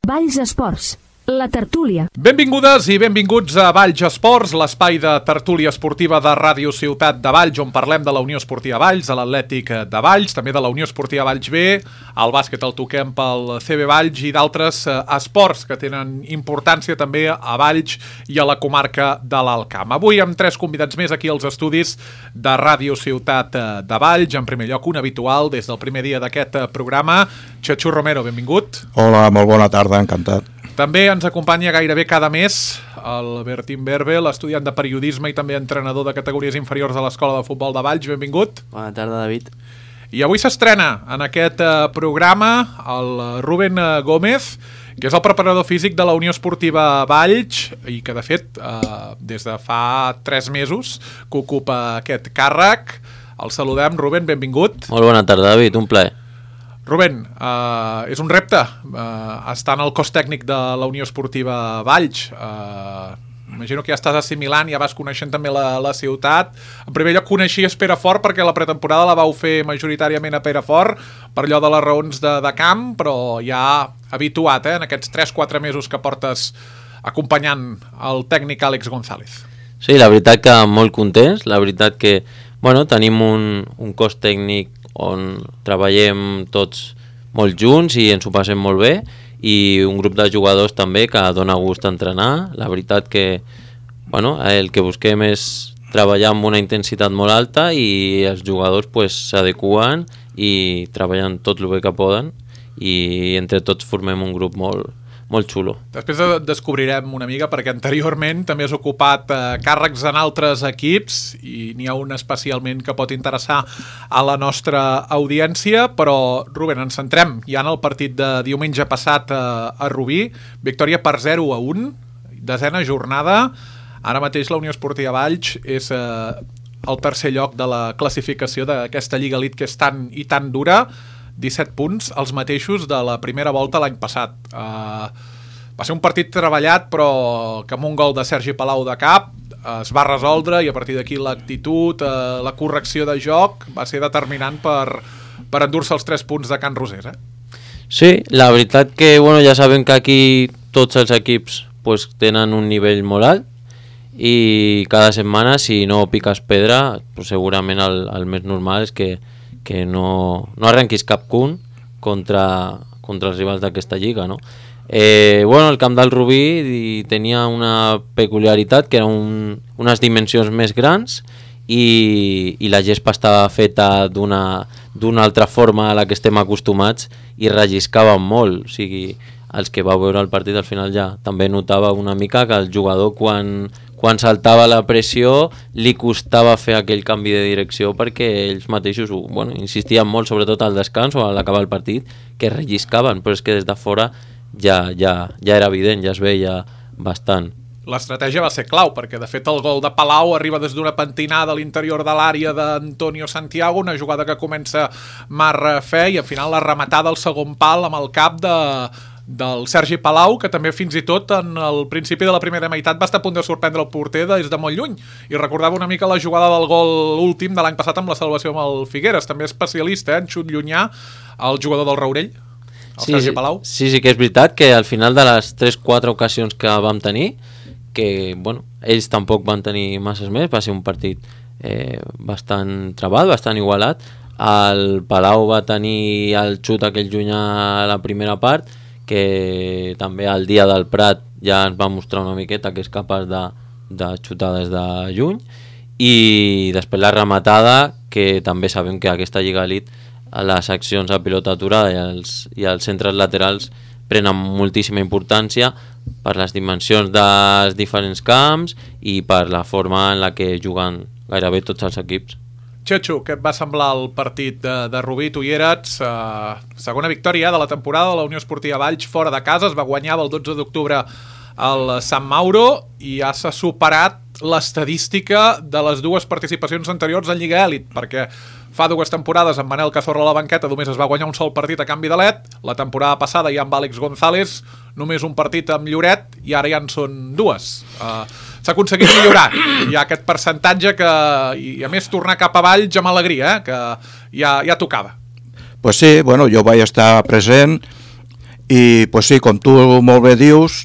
Valls Esports, la tertúlia. Benvingudes i benvinguts a Valls Esports, l'espai de tertúlia esportiva de Ràdio Ciutat de Valls, on parlem de la Unió Esportiva Valls, de l'Atlètic de Valls, també de la Unió Esportiva Valls B, el bàsquet el toquem pel CB Valls i d'altres esports que tenen importància també a Valls i a la comarca de l'Alt Camp. Avui amb 3 convidats més aquí als estudis de Ràdio Ciutat de Valls. En primer lloc, un habitual des del primer dia d'aquest programa, Chechu Romero, benvingut. Hola, molt bona tarda, encantat. També ens acompanya gairebé cada mes el Bertín Berbe, l'estudiant de periodisme i també entrenador de categories inferiors de l'Escola de Futbol de Valls. Benvingut. Bona tarda, David. I avui s'estrena en aquest programa el Rubén Gómez, que és el preparador físic de la Unió Esportiva Valls i que, de fet, des de fa 3 mesos que ocupa aquest càrrec. El saludem. Rubén, benvingut. Molt bona tarda, David, un plaer. Rubén, és un repte estar en el cos tècnic de la Unió Esportiva Valls. Imagino que ja estàs assimilant, ja vas coneixent també la ciutat. En primer lloc coneixies Perafort perquè la pretemporada la vau fer majoritàriament a Perafort per allò de les raons de camp, però ja habituat en aquests 3-4 mesos que portes acompanyant el tècnic Àlex González. Sí, la veritat que molt contents, la veritat que tenim un cos tècnic on treballem tots molt junts i ens ho passem molt bé, i un grup de jugadors també que dona gust entrenar. La veritat que el que busquem és treballar amb una intensitat molt alta i els jugadors s'adequen i treballen tot el bé que poden i entre tots formem un grup molt xulo. Després descobrirem una mica perquè anteriorment també has ocupat càrrecs en altres equips i n'hi ha un especialment que pot interessar a la nostra audiència, però Rubén, ens centrem ja en el partit de diumenge passat a Rubí, victòria per 0-1, 10ª jornada. Ara mateix la Unió Esportiva Valls és el 3è lloc de la classificació d'aquesta Lliga Elite que és tan i tan dura, 17 punts, els mateixos de la primera volta l'any passat. Va ser un partit treballat, però que amb un gol de Sergi Palau de cap es va resoldre i a partir d'aquí l'actitud, la correcció de joc va ser determinant per endur-se els 3 punts de Can Rosés. Sí, la veritat que ja sabem que aquí tots els equips tenen un nivell molt alt i cada setmana, si no piques pedra, segurament el més normal és que no arrenquis cap punt contra els rivals d'aquesta lliga, no? El camp del Rubí tenia una peculiaritat que eren unes dimensions més grans i la gespa estava feta d'una altra forma a la que estem acostumats i relliscaven molt. O sigui, els que vau veure el partit al final ja també notava una mica que el jugador quan saltava la pressió li costava fer aquell canvi de direcció perquè ells mateixos insistien molt, sobretot al descans o a l'acabar el partit, que relliscaven, però és que des de fora ja era evident, ja es veia bastant. L'estratègia va ser clau, perquè de fet el gol de Palau arriba des d'una pentinada a l'interior de l'àrea d'Antonio Santiago, una jugada que comença Marfè i al final la rematada al segon pal amb el cap del Sergi Palau, que també fins i tot en el principi de la primera meitat va estar a punt de sorprendre el porter des de molt lluny, i recordava una mica la jugada del gol últim de l'any passat amb la salvació amb el Figueres, també especialista en xut llunyà, el jugador del Raurell, el Sergi Palau. Sí, que és veritat que al final de les 3-4 ocasions que vam tenir, que ells tampoc van tenir masses més, va ser un partit bastant trebat, bastant igualat. El Palau va tenir el xut aquell llunyà a la primera part, que també al dia del Prat ja ens va mostrar una miqueta que és capaç de xutar des de lluny, i després la rematada, que també sabem que aquesta Lliga Elite les accions a pilota aturada i els centres laterals prenen moltíssima importància per les dimensions dels diferents camps i per la forma en la que juguen gairebé tots els equips. Chechu, què et va semblar el partit de Rubí? Tu hi eres, segona victòria de la temporada de la Unió Esportiva Valls fora de casa, es va guanyar el 12 d'octubre al Sant Mauro i ja s'ha superat l'estadística de les 2 participacions anteriors en Lliga Elit, perquè fa 2 temporades amb Manel Cazorla a la banqueta només es va guanyar un sol partit a canvi de led, la temporada passada ja amb Àlex González només un partit amb Lloret i ara ja en són 2. S'ha aconseguit millorar, hi ha aquest percentatge que, i a més tornar cap a Valls amb alegria, que ja tocava. Pues sí, jo vaig estar present i pues sí, com tu molt bé dius,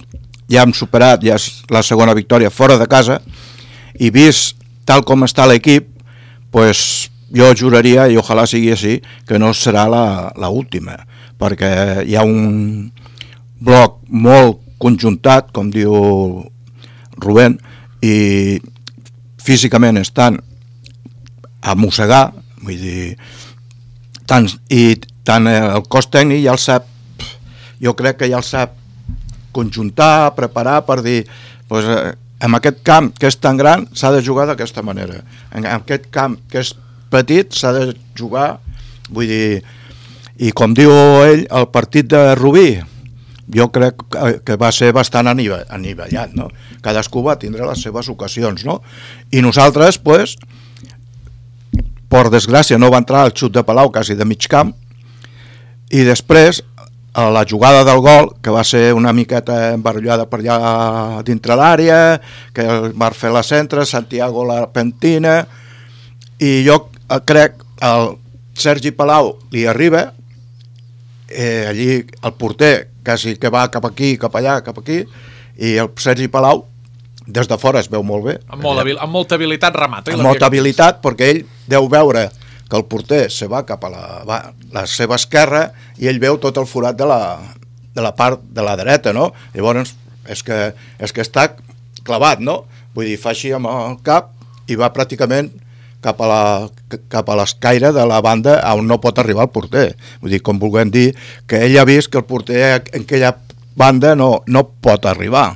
ja hem superat, ja és la segona victòria fora de casa, i vist tal com està l'equip, pues jo juraria, i ojalà sigui així, que no serà la última, perquè hi ha un bloc molt conjuntat, com diu Rubén, i físicament estan a mossegar, vull dir, tant el cos tècnic ja el sap, jo crec que ja el sap conjuntar, preparar per dir, pues, en aquest camp que és tan gran s'ha de jugar d'aquesta manera, en aquest camp que és petit s'ha de jugar, vull dir, i com diu ell, el partit de Rubí jo crec que va ser bastant anivellat, no? Cadascú va tindre les seves ocasions, no? I nosaltres, pues, per desgràcia no va entrar el xut de Palau quasi de mig camp, i després a la jugada del gol, que va ser una miqueta embarallada per allà dintre l'àrea, que el Marcela centra, Santiago la pentina, i jo crec el Sergi Palau li arriba, allí el porter quasi que va cap aquí, cap allà, cap aquí, i el Sergi Palau des de fora es veu molt bé. Amb molta habilitat remata. Amb molta habilitat, perquè ell deu veure que el porter se va cap a la seva esquerra i ell veu tot el forat de la part de la dreta, no? Llavors és que està clavat, no? Vull dir, fa així amb el cap i va pràcticament cap a l'escaire de la banda on no pot arribar el porter. Vull dir, com vulguem dir, que ell ha vist que el porter en aquella banda no pot arribar.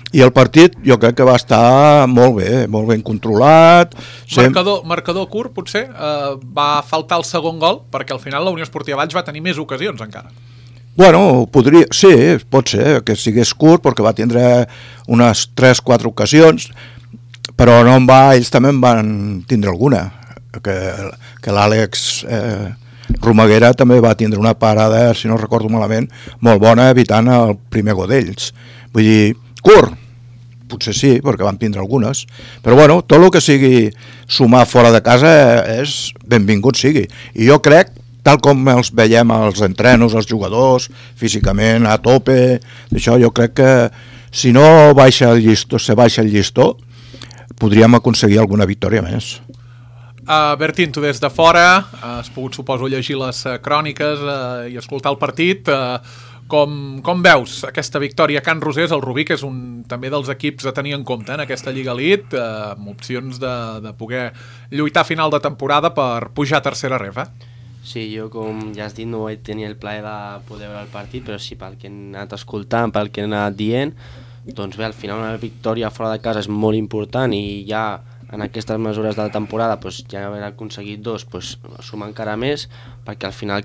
I el partit jo crec que va estar molt ben controlat. Marcador curt, potser. Va faltar el segon gol, perquè al final la Unió Esportiva Valls va tenir més ocasions encara. Bueno, sí, pot ser que sigués curt, perquè va tindre unes 3-4 ocasions, però no ells també en van tindre alguna, que l'Àlex Romaguera també va tindre una parada, si no recordo malament, molt bona, evitant el primer gol d'ells. Vull dir, curt, potser sí, perquè vam tindre algunes, però bueno, tot el que sigui sumar fora de casa és benvingut sigui. I jo crec, tal com els veiem als entrenos, els jugadors, físicament, a tope, això jo crec que si no se baixa el llistó, podríem aconseguir alguna victòria més. Bertín, tu des de fora has pogut, suposo, llegir les cròniques i escoltar el partit. Com veus aquesta victòria a Can Rosés, el Rubí, que és un també dels equips a tenir en compte en aquesta Lliga Elite, amb opcions de poder lluitar a final de temporada per pujar a tercera ref, Sí, jo, com ja has dit, no vaig tenir el plaer de poder veure el partit, però sí, pel que he anat escoltant, pel que he anat dient, doncs bé, al final una victòria fora de casa és molt important i ja en aquestes mesures de la temporada ja haver aconseguit 2 suma encara més, perquè al final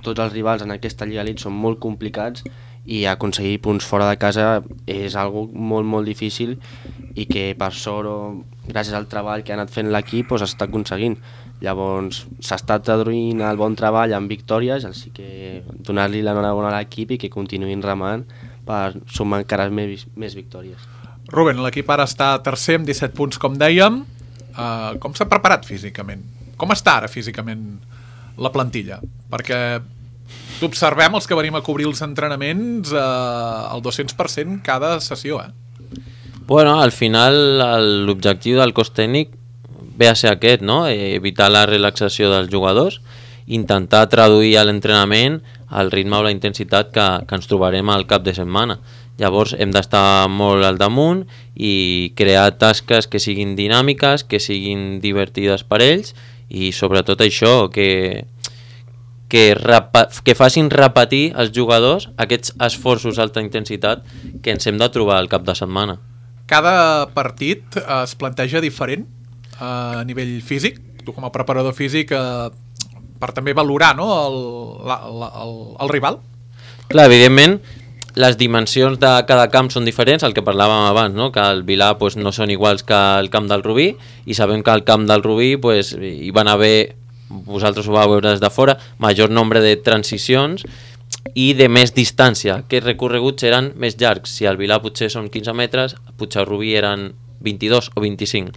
tots els rivals en aquesta Lliga Elite són molt complicats i aconseguir punts fora de casa és algo molt, molt difícil i que per sort o gràcies al treball que ha anat fent l'equip s'està aconseguint. Llavors s'està traduint el bon treball en victòries, així que donar-li l'enhorabona a l'equip i que continuïn remant per sumar encara més victòries. Rubén, l'equip ara està tercer amb 17 punts, com dèiem. Com s'ha preparat físicament? Com està ara físicament la plantilla? Perquè t'observem els que venim a cobrir els entrenaments al 200% cada sessió, Bueno, al final l'objectiu del cos tècnic ve a ser aquest, no? Evitar la relaxació dels jugadors, intentar traduir a l'entrenament el ritme o la intensitat que ens trobarem al cap de setmana. Llavors hem d'estar molt al damunt i crear tasques que siguin dinàmiques, que siguin divertides per ells i sobretot això, que facin repetir els jugadors aquests esforços d'alta intensitat que ens hem de trobar al cap de setmana. Cada partit es planteja diferent a nivell físic, tu com a preparador físic, per també valorar, no, el rival? Clar, evidentment, les dimensions de cada camp són diferents, el que parlàvem abans, no? Que el Vilà no són iguals que el camp del Rubí, i sabem que al camp del Rubí hi van haver, vosaltres ho vau veure des de fora, major nombre de transicions i de més distància. Aquests recorreguts eren més llargs. Si al Vilà potser són 15 metres, potser al Rubí eren 22 o 25,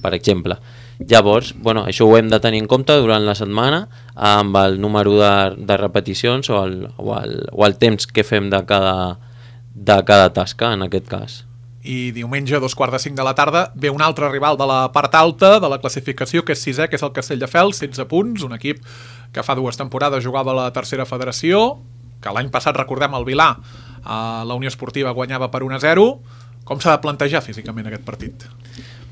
per exemple. Llavors, això ho hem de tenir en compte durant la setmana amb el número de repeticions o el temps que fem de cada tasca, en aquest cas. I diumenge a 2:45 de la tarda ve un altre rival de la part alta de la classificació, que és sisè, que és el Castelldefels, 16 punts, un equip que fa 2 temporades jugava a la tercera federació, que l'any passat, recordem, el Vilà, la Unió Esportiva guanyava per 1-0. Com s'ha de plantejar físicament aquest partit?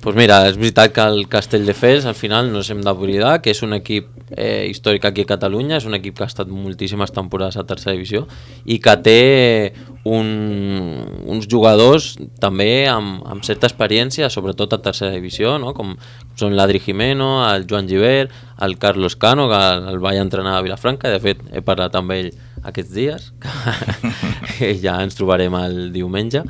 Doncs mira, és veritat que el Castelldefels al final no ens hem d'oblidar que és un equip històric aquí a Catalunya, és un equip que ha estat moltíssimes temporades a tercera divisió i que té uns jugadors també amb certa experiència, sobretot a tercera divisió, no? Com són l'Adri Jimeno, el Joan Gibert, el Carlos Cano, que el vaig entrenar a Vilafranca, i de fet he parlat amb ell aquests dies, que ja ens trobarem el diumenge.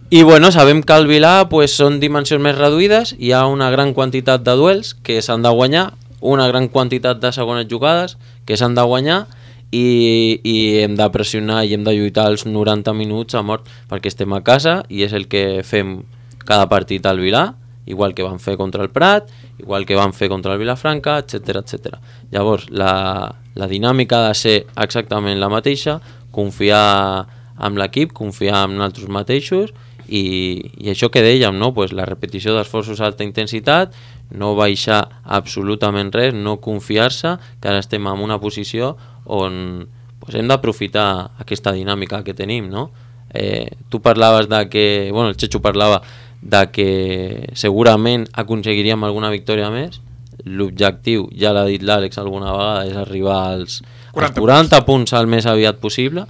I sabem que al Vilà són dimensions més reduïdes, hi ha una gran quantitat de duels que s'han de guanyar, una gran quantitat de segones jugades que s'han de guanyar i hem de pressionar i hem de lluitar els 90 minuts a mort perquè estem a casa i és el que fem cada partit al Vilà, igual que van fer contra el Prat, igual que van fer contra el Vilafranca, etc. Llavors, la dinàmica ha de ser exactament la mateixa, confiar en l'equip, confiar en nosaltres mateixos i això que dèiem, no? La repetició d'esforços d'alta intensitat, no baixar absolutament res, no confiar-se, que ara estem en una posició on hem d'aprofitar aquesta dinàmica que tenim, no? Tu parlaves de que, el Chechu parlava de que segurament aconseguiríem alguna victòria més. L'objectiu, ja l'ha dit l'Àlex alguna vegada, és arribar als 40 punts el més aviat possible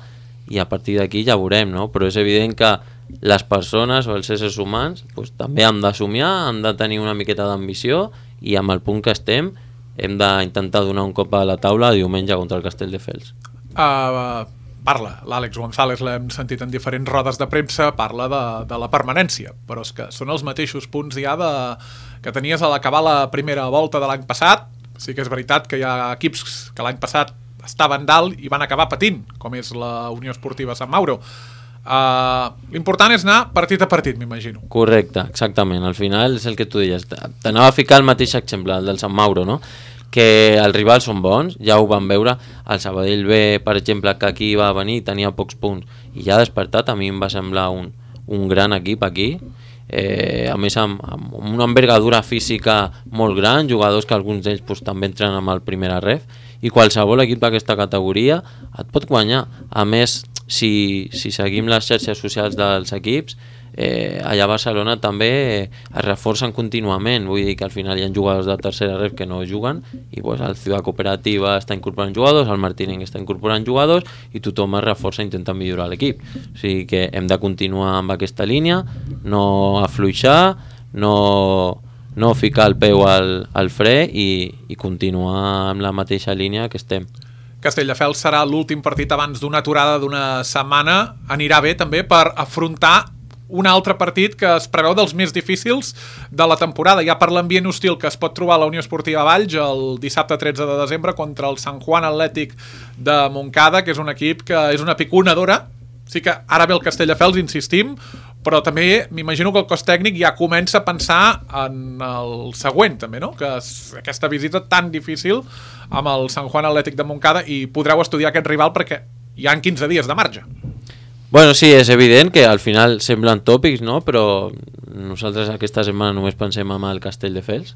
i a partir d'aquí ja veurem, no? Però és evident que les persones o els éssers humans també hem de somiar, hem de tenir una miqueta d'ambició i amb el punt que estem hem d'intentar donar un cop a la taula diumenge contra el Castelldefels. Parla, l'Àlex González l'hem sentit en diferents rodes de premsa, parla de la permanència, però és que són els mateixos punts ja que tenies a l'acabar la primera volta de l'any passat. Sí que és veritat que hi ha equips que l'any passat estaven dalt i van acabar patint, com és la Unió Esportiva Sant Mauro. L'important és anar partit a partit, m'imagino. Correcte, exactament. Al final és el que tu deies. T'anava a ficar el mateix exemple, el del Sant Mauro, no? Que els rivals són bons, ja ho vam veure. El Sabadell B, per exemple, que aquí va venir, tenia pocs punts i ja ha despertat. A mi em va semblar un gran equip aquí. A més amb una envergadura física molt gran, jugadors que alguns d'ells també entren amb el primer ref, i qualsevol equip d'aquesta categoria et pot guanyar. A més, si seguim les xarxes socials dels equips, allà a Barcelona també es reforcen contínuament, vull dir que al final hi ha jugadors de tercera ref que no juguen i el Ciutat Cooperativa està incorporant jugadors, el Martínez està incorporant jugadors i tothom es reforça i intenta millorar l'equip. O sigui que hem de continuar amb aquesta línia, no afluixar, no ficar el peu al fre i continuar amb la mateixa línia que estem. Castelldefels serà l'últim partit abans d'una aturada d'una setmana. Anirà bé també per afrontar un altre partit que es preveu dels més difícils de la temporada, ja per l'ambient hostil que es pot trobar a la Unió Esportiva Valls el dissabte 13 de desembre contra el Sant Juan Atlètic de Montcada, que és un equip que és una piconadora. Sí que ara ve el Castelldefels, insistim, però també m'imagino que el cos tècnic ja comença a pensar en el següent també, no? Que és aquesta visita tan difícil amb el Sant Juan Atlètic de Montcada i podreu estudiar aquest rival perquè hi ha 15 dies de marge. Bueno, sí, és evident que al final semblen tòpics, no? Però nosaltres aquesta setmana només pensem en el Castelldefels,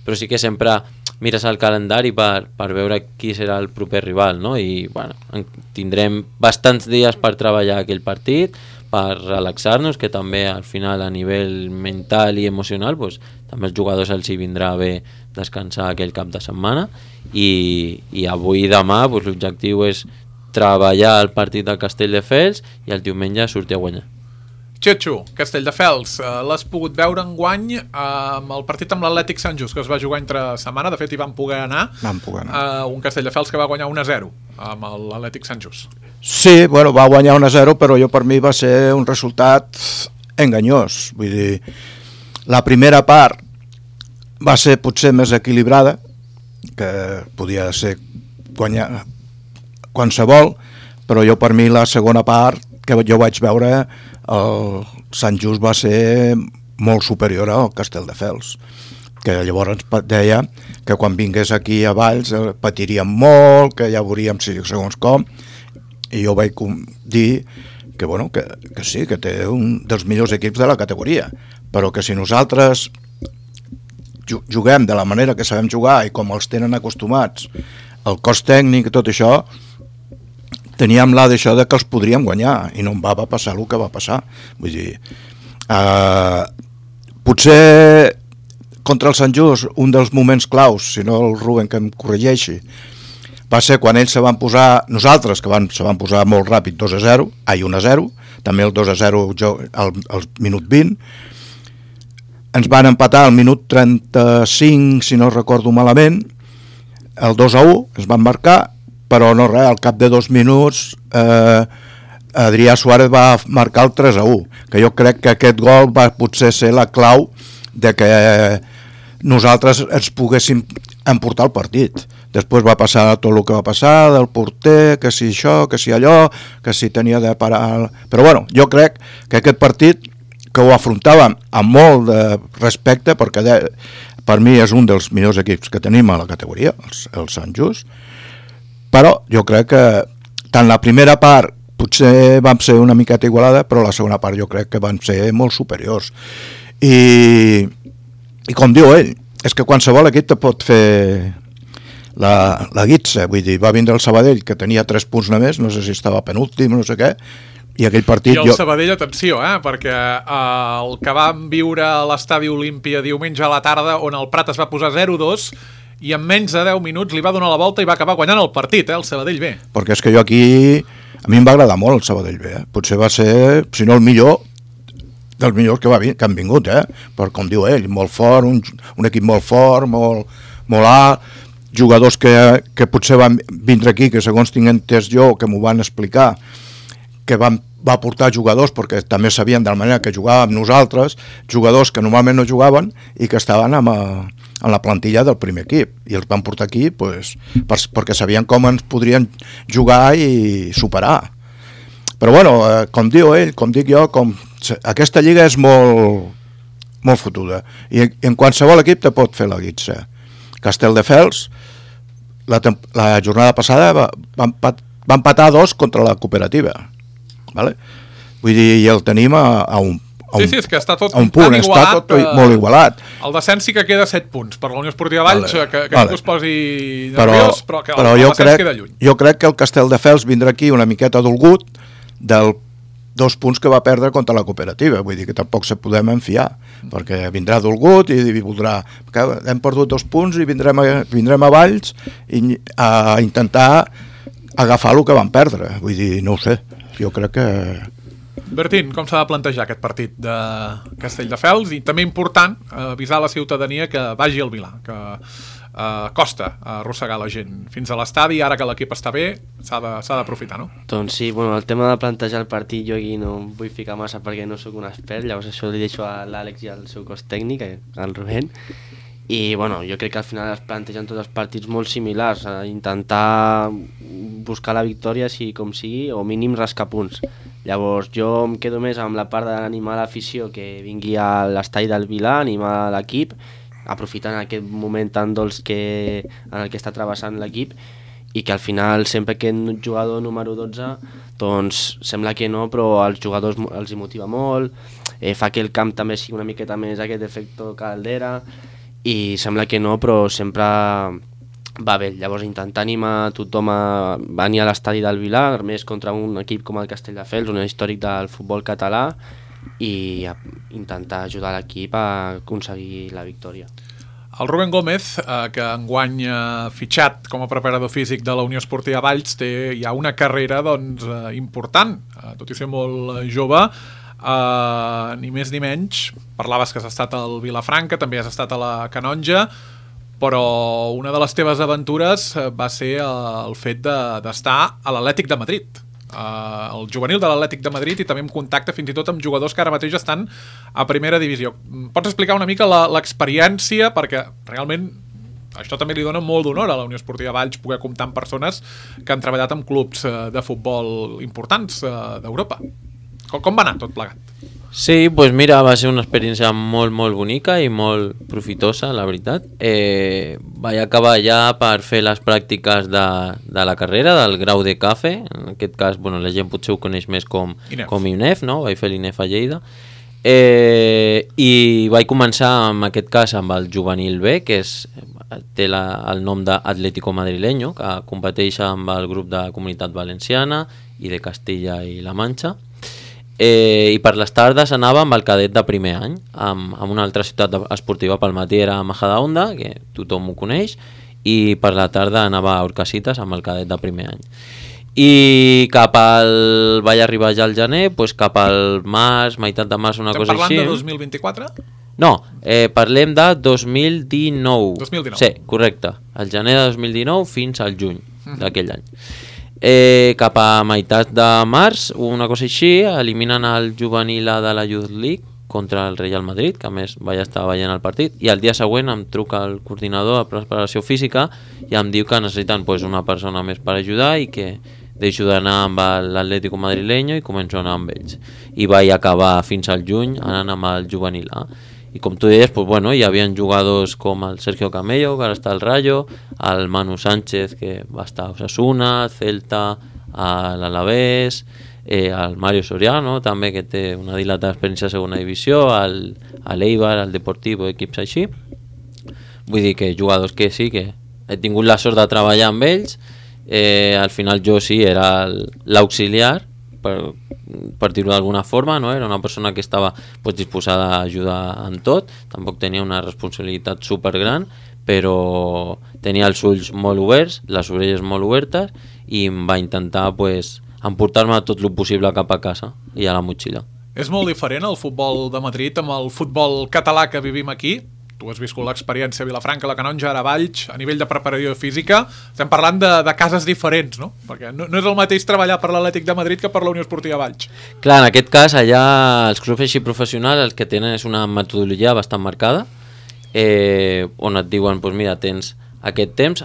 però sí que sempre mires el calendari per veure qui serà el proper rival, no? I bueno, tindrem bastants dies per treballar aquell partit, per relaxar-nos, que també al final a nivell mental i emocional també als jugadors els hi vindrà bé descansar aquell cap de setmana i avui i demà l'objectiu és treballar el partit del Castelldefels i el diumenge sortir a guanyar. Chechu, Castelldefels, l'has pogut veure enguany amb el partit amb l'Atlètic Sant Just, que es va jugar entre setmana, de fet hi van poder anar. Un Castelldefels que va guanyar 1-0 amb l'Atlètic Sant Just. Sí, bueno, va guanyar 1-0, però per mi va ser un resultat enganyós. Vull dir, la primera part va ser potser més equilibrada, que podia ser guanyar qualsevol, però per mi la segona part que jo vaig veure el Sant Just va ser molt superior al Castelldefels. que llavors ens deia que quan vingués aquí a Valls patiríem molt, que ja veuríem segons com, i jo vaig dir que, bueno, que sí, que té un dels millors equips de la categoria, però que si nosaltres juguem de la manera que sabem jugar i com els tenen acostumats, el cos tècnic i tot això, teníem la d'això de que els podríem guanyar i no em va passar el que va passar. Vull dir, potser contra el Sant Just un dels moments claus, si no el Rubén que em corregeixi, va ser quan ells se van posar, nosaltres que se van posar molt ràpid 2-0, 1-0, també el 2-0 al minut 20, ens van empatar al minut 35, si no recordo malament, el 2-1, ens van marcar, però no res, al cap de 2 minuts Adrià Suárez va marcar el 3-1, que jo crec que aquest gol va potser ser la clau de que nosaltres ens poguéssim emportar el partit. Després va passar tot el que va passar, del porter, que si això, que si allò, que si tenia de parar... Però bueno, jo crec que aquest partit, que ho afrontàvem amb molt de respecte, perquè per mi és un dels millors equips que tenim a la categoria, el Sant Just, però jo crec que tant la primera part potser vam ser una miqueta igualada, però la segona part jo crec que van ser molt superiors. I com diu ell, és que qualsevol equip te pot fer la guitza, vull dir, va vindre el Sabadell que tenia 3 punts només, no sé si estava penúltim, no sé què, i aquell partit... I el Sabadell, atenció, perquè el que vam viure a l'Estadi Olímpia diumenge a la tarda, on el Prat es va posar 0-2, i en menys de 10 minuts li va donar la volta i va acabar guanyant el partit, el Sabadell B. Perquè és que jo aquí, a mi em va agradar molt el Sabadell B, potser va ser, si no el millor, dels millors que han vingut, però com diu ell, molt fort, un equip molt fort, molt alt, jugadors que potser van vindre aquí, que segons tinc entès jo, que m'ho van explicar, que va portar jugadors, perquè també sabien de la manera que jugàvem nosaltres, jugadors que normalment no jugaven i que estaven en la plantilla del primer equip, i els van portar aquí pues, perquè sabien com ens podrien jugar i superar. Però bueno, com diu ell, com dic jo, aquesta lliga és molt fotuda, i en qualsevol equip te pot fer la guitza. Castelldefels, la jornada passada va empatar 2 contra la cooperativa, vale? Vull dir, i el tenim a un sí, és que està tot a un punt, igualat, està tot molt igualat. El descens sí que queda 7 punts per la Unió Esportiva Valls, que ningú es posi nerviós, però que el descens queda lluny. Jo crec que el Castelldefels vindrà aquí una miqueta dolgut del 2 punts que va perdre contra la cooperativa, vull dir que tampoc se podem enfiar, perquè vindrà dolgut i voldrà, que hem perdut 2 punts i vindrem a Valls a intentar agafar el que van perdre, vull dir, no ho sé, jo crec que... Bertín, com s'ha de plantejar aquest partit de Castelldefels? I també important avisar la ciutadania que vagi al Vilà, que costa arrossegar la gent fins a l'estadi, ara que l'equip està bé s'ha d'aprofitar, no? Doncs sí, bueno, el tema de plantejar el partit jo aquí no em vull ficar massa perquè no sóc un expert, llavors això li deixo a l'Àlex i al seu cos tècnic, al Rubén, i bueno, jo crec que al final es plantegen tots els partits molt similars, a intentar buscar la victòria si com sigui, o mínim rascar punts. Llavors jo em quedo més amb la part d'animar l'afició que vingui a l'estadi del Vilà, animar l'equip, aprofitant aquest moment tan dolç en el que està travessant l'equip, i que al final sempre que un jugador número 12 doncs sembla que no, però als jugadors els hi motiva molt, fa que el camp també sigui una miqueta més aquest efecte caldera, i sembla que no, però sempre va bé. Llavors intentar animar tothom a venir a l'estadi del Vilà, més contra un equip com el Castelldefels, un històric del futbol català, i intentar ajudar l'equip a aconseguir la victòria. El Rubén Gómez, que enguany ha fitxat com a preparador físic de la Unió Esportiva Valls, té ja una carrera doncs, important, tot i ser molt jove, ni més ni menys. Parlaves que has estat al Vilafranca, també has estat a la Canonja, però una de les teves aventures va ser el fet d'estar a l'Atlètic de Madrid, el juvenil de l'Atlètic de Madrid, i també en contacte fins i tot amb jugadors que ara mateix estan a primera divisió. Pots explicar una mica l'experiència, perquè realment això també li dona molt d'honor a la Unió Esportiva Valls poder comptar amb persones que han treballat amb clubs de futbol importants d'Europa. Com va anar tot plegat? Sí, pues mira, va ser una experiència molt, molt bonica i molt profitosa, la veritat. Vaig acabar ja per fer les pràctiques de la carrera, del grau de CAFE. En aquest cas, bueno, la gent potser ho coneix més com INEF, no? Vaig fer l'INEF a Lleida. I vaig començar, en aquest cas, amb el juvenil B, que té el nom d'Atlético Madrileño, que competeix amb el grup de Comunitat Valenciana i de Castilla i La Manxa. I per les tardes anava amb el cadet de primer any, amb una altra ciutat esportiva. Pel matí era Majadahonda, que tothom ho coneix, i per la tarda anava a Orcasitas amb el cadet de primer any. I vaig arribar ja al gener, doncs cap al març, meitat de març, una cosa així. Estem parlant de 2024? No, parlem de 2019. 2019. Sí, correcte. El gener de 2019 fins al juny d'aquell any. Cap a meitat de març, una cosa així, eliminen el juvenil de la Youth League contra el Real Madrid, que a més vaig estar veient el partit, i el dia següent em truca el coordinador de preparació física i em diu que necessiten una persona més per ajudar i que deixo d'anar amb l'Atlético Madrileño i començo a anar amb ells. I vaig acabar fins al juny anant amb el juvenil A. I com tu deies, pues bueno, hi havia jugadors com el Sergio Camello, que ara està al Rayo, el Manu Sánchez, que va estar a Osasuna, Celta, a l'Alavés, el Mario Soriano, també, que té una dilatada experiència a segona divisió, l'Eibar, el Deportivo, equips així. Vull dir que jugadors que sí, que he tingut la sort de treballar amb ells. Al final jo sí, era l'auxiliar, per dir-ho d'alguna forma, no? Era una persona que estava disposada a ajudar en tot, tampoc tenia una responsabilitat supergran, però tenia els ulls molt oberts, les orelles molt obertes, i em va intentar emportar-me tot el possible cap a casa i a la motxilla. És molt diferent el futbol de Madrid amb el futbol català que vivim aquí? Tu has viscut l'experiència a Vilafranca, la Canonja, ara Valls, a nivell de preparació física. Estem parlant de cases diferents, no? Perquè no és el mateix treballar per l'Atlètic de Madrid que per la Unió Esportiva Valls. Clar, en aquest cas, allà els clubs així professionals el que tenen és una metodologia bastant marcada, on et diuen, doncs mira, tens aquest temps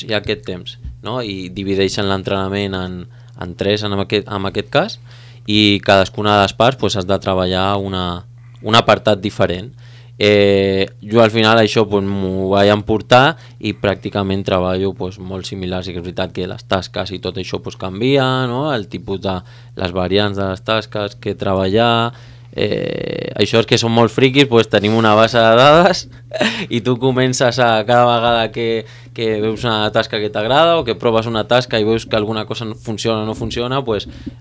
i aquest temps, no? I divideixen l'entrenament en tres en aquest cas, i cadascuna de les parts has de treballar un apartat diferent. Jo al final això m'ho vaig emportar i pràcticament treballo molt similars. I que és veritat que les tasques i tot això canvia, no? El tipus de les variants de les tasques que treballar, això és que som molt friquis, tenim una base de dades i tu comences a cada vegada que veus una tasca que t'agrada o que proves una tasca i veus que alguna cosa funciona o no funciona,